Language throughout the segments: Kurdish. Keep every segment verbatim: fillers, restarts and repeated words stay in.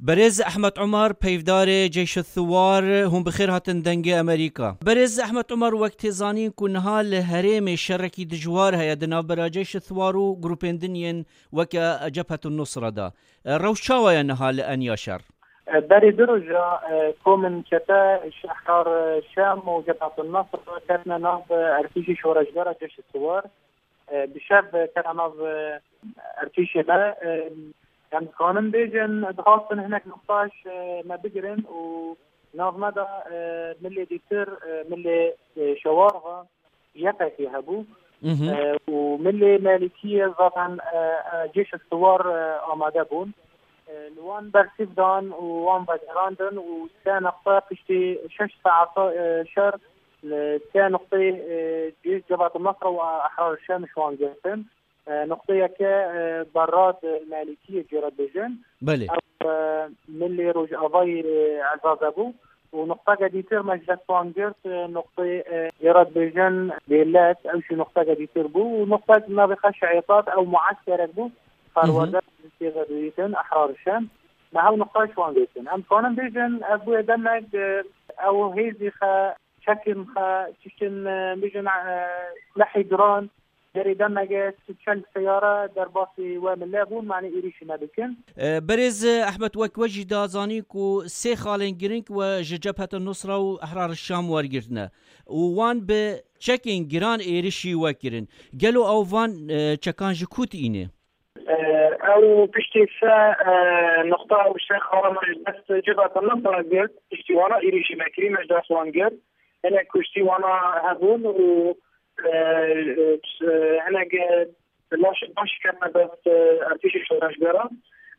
Berêz Ehmed Umar, peyvdarê Ceyşe Thiwar, hûn bi xêr hatin Dengê Amerîka. Berêz Ehmed Umar, wek tê zanîn ku niha li herêmê şerekî dijwar heye di navbera Ceyşe Thiwar û grûpên din yên weke Cebhet Nusra de. Rewş çawa ye niha li enya şer? Berê du roja, e, komên çete, Şehrar Şam û Cebhet Nasr ketine nav êrtîşê şoreşgera Ceyşe Thiwar. E, bi şev kete nav, e, êrtîşê me. E, em dikanin bêjin, dixwastin hinek nuqtaş, e, me bigirin û nav me de, e, milê dîtir, e, milê, e, Şewar ve Y P G hebû. Mhm. E, û milê Malîkiyê zaten, e, e, Ceyşe Thiwar, e, amade bûn. E, li wan bersîv dan û wan vegerandin û sê neqte piştî şeş saeta, e, şer li sê nuqteyê, e, cih Cebhet Nasra û Ehrar Şam ji wan girtin. E, nuqteyeke, e, berra di Malîkiyê jê re dibêjin. Belê. Ew, e, milê Rojavayê, e, Ezaze bû. Û nuqteke dîtir me ji dest wan girt, e, nuqteyê, e, jê re dibêjin Dêlet, ew jî nuqteke dîtir bû. Û nuqtek navê xwe Şeîtat, ew mueskerek bû. Perwerde tê de dibîtin, Ehrar Şam. Me hew nuqta ji wan girtin. Em dikanin bêjin, ev bûye demek, e, ew hêzî xe, çekên xe, tiştên, e, bêjin, e, silehê giran, derê demege çel seyare derbasî we mile bûn, manî êrîşî me dikin. E, Berêz Ehmed, wek we jî da zanîn ku sê xalên girîng we ji Cebheta Nusra û Ehrar Şam wergirtine û wan bi çekên giran êrîşî we kirin. Gelo ew van, e, çekan ji ku tîne? E, ew piştî se, e, nuqta û se xala me ji dest Cebheta Nusra girt, piştî wana êrîşî me kirî, me ji dest wan girt. Hinek kuştî wana hebûn û, e, e, hinek, e, laşê baş ketine dest, e, êrtîşê şoreşgeran.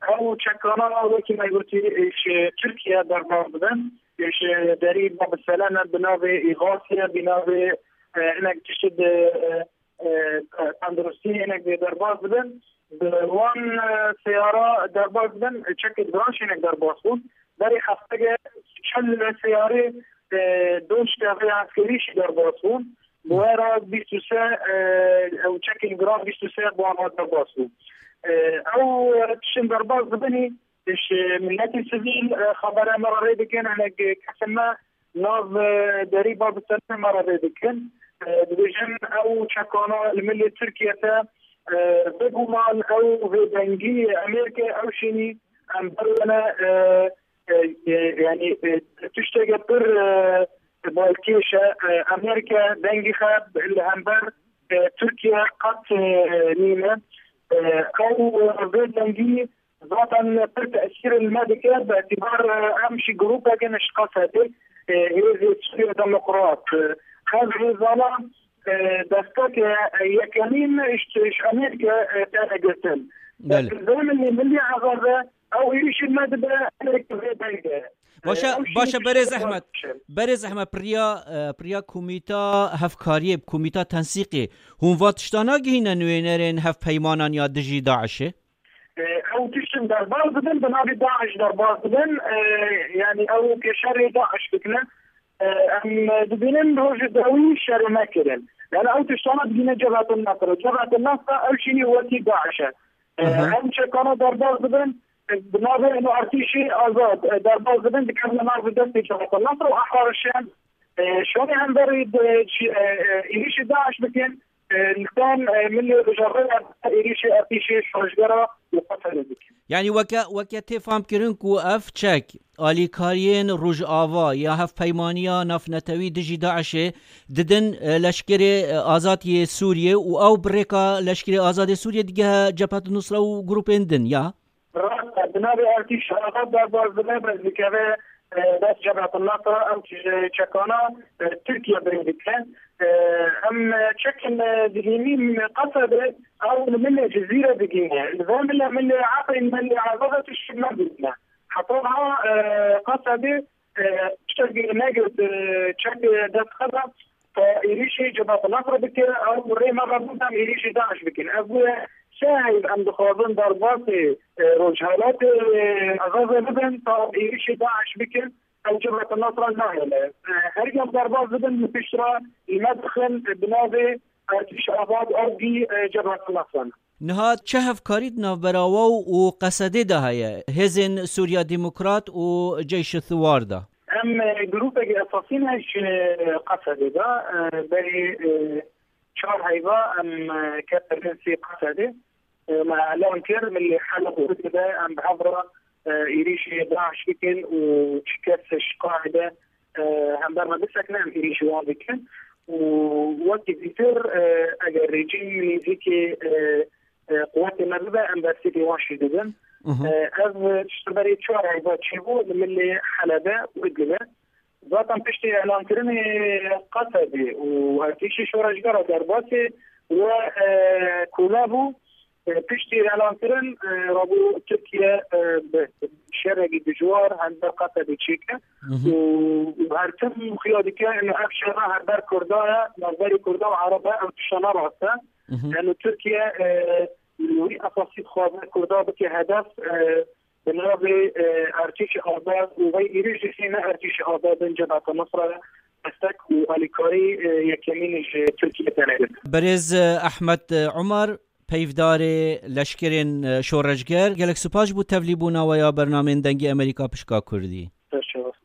Ew çekana wekî me gotî, e, ji Tirkiye derbas dibin. E, ji derî Bab Seleme bi navê Îxasê, bi navê, e, hinek tiştê di, e, e, tenduristî hinek derbas dibin. Bi wan, e, seyara derbas dibin, çekê giran jî hinek derbas bûn. Berê hefteke çel seyarê, e, doşka vê eskerî jî derbas bûn. Bi we re bîst û sê, e, ew çekên giran bîst û sê bi wan re derbas bûn. E, ew, e, tiştên derbas dibinî, ji miletê sivîl, e, xebera me re rê dikin, hinek kesên me nav, e, derî Bab Seleme me re rê dikin. E, dibêjin ew çekana li milê Tirkiye te, e, biguman ew vê dengî Amerîke ew şînî em berwene, e, e, e, yanî, e, tişteke pir, e, balkêş e. E, Amerîke dengî xwe li hember, e, Tirkiye qet, e, nîne. E, ew vê dengî zaten pir tesîr li me dike, bi îtibar, e, em jî grûpek in ji Qesedê, e, Hêzê Sûriya Demokrat. E, ev hêzana, e, desteke, e, yekemîn ji, ji Amerîke, e, têne girtin. Belê. Vê milî, milî Ezaze, ew êrîşî me dibe, Amerîke vê denge. Baş e, E, ew jî baş e, tiştek Berêz Ehmed. Berêz Ehmed, piriya, e, piriya Komîta Hevkariyê, Komîta Tensîqê, hûn va tişta nagihîne nûênerên hevpeymanan ya dijî DAIŞê? E, ew tiştin derbas dibin, bi navê DAIŞ derbas dibin. E, yanî ew ke şerê DAIŞ dikine. E, em dibînin rojê dawî şerê me kirin. Yani ew tiştana digîne Cebhetin Nasra. Cebhetin Nasra ew şînî wekî DAIŞ e. E, Aha. Em çekana derbas dibin, e, bi navê êno artîşê azad, e, derbas dibin, dikevne nav destê Cebhetin Nasra û Ehrar Şam. E, şonê hemberî di, çi, e, e, êrîşê DAIŞ bikin. E, li ser, e, milê Rojava êrîşê artîşê şoreşgera li Qesedê dikin. Yani weke, weke tê fam kirin ku ev çek alîkariyên Rojava ya Hevpeymaniya Navnetewî dijî DAIŞê didin, e, Leşkerê, e, Azad yê Sûriyê û ew bi rêka Leşkerê Azadê Sûriyê digehe Cebhet Nusra û grûpên din ya? Rast e, bi navê Artîş Azad derbas dibe, bes dikeve, e, dest Cebhet Nusra, ew çi-, çekana, e, Tirkiye birê dike. E, em, e, çekin, e, dihînî Qesedê, ew li milê Cizîre digîne. Li vê milê, milê Efrîn, milê Azad tişt nabîne. Heta niha, e, Qesedê, e, tiştekî negirt, e, çek, e, dest xwe da, te êrîşî Cebhet Nusra bike, ew rê me vebû, em êrîşî DAIŞ bikin. Ev bûye sê heyv em dixwazin derbasê, e, Rojhelatê, e, Ezazê bibin, ta êrîşî DAIŞ bikin, ew Cebhet Nusra nahêle. E, herî em derbas bibin, li pişt re li me dixin, e, bi navê Artîş Azad, ew bî, e, Cebhet Nusra. Niha çi hevkarî di navbera we û Qesedê de heye? Hêzên Sûriya Demokrat û Ceyşê Thiwar de? Em, e, grûpekî esasî ne ji Qesedê de, e, berî, e, çar heyva em, e, ketin sî Qesedê. E, me elan kir, milê Heleb û Idlibê em bi hev re, e, êrîşî DAIŞ bikin û çi kes şikayê de, e, hember me bisekine em êrîşî wan bikin. Û wekî zîtir, e, eger rejîm nêzîkî, e, e, quwetê me bibe, em bersiv wan jî didin. Mhm. E, ev ji ber çar heyva çêbû li milê Helebê û Idlibê. Zaten piştî elankirinê Qesedê û erdîşî şoreşgera derbasî we, e, kûla bû. E, piştî elankirin, e, rabû Tirkiye, e, bi şerekî dijwar hember Qesedê çêke. Mhm. Û, û her tim xuya dike, ino ev şer hember Kurda ye, navberî Kurda û Ereb e, ew tişta ne rast e. Mhm. Ino Tirkiye, e, wî esasî dixwaze Kurda bike hedef, e, bi navê, e, Ertîşê Azad û vey êrîş jî ne Ertîşê Azad in, Cebheta Nusra destek û alîkarî, e, yekemîn ji Tirkiye tenê didin. Berêz, e, Ehmed, e, Umar, peyvdarê leşkerên, e, şoreşger, gelek spas ji bo tevlîbûna we ya bernameyên Dengê Amerîka pişka Kurdî.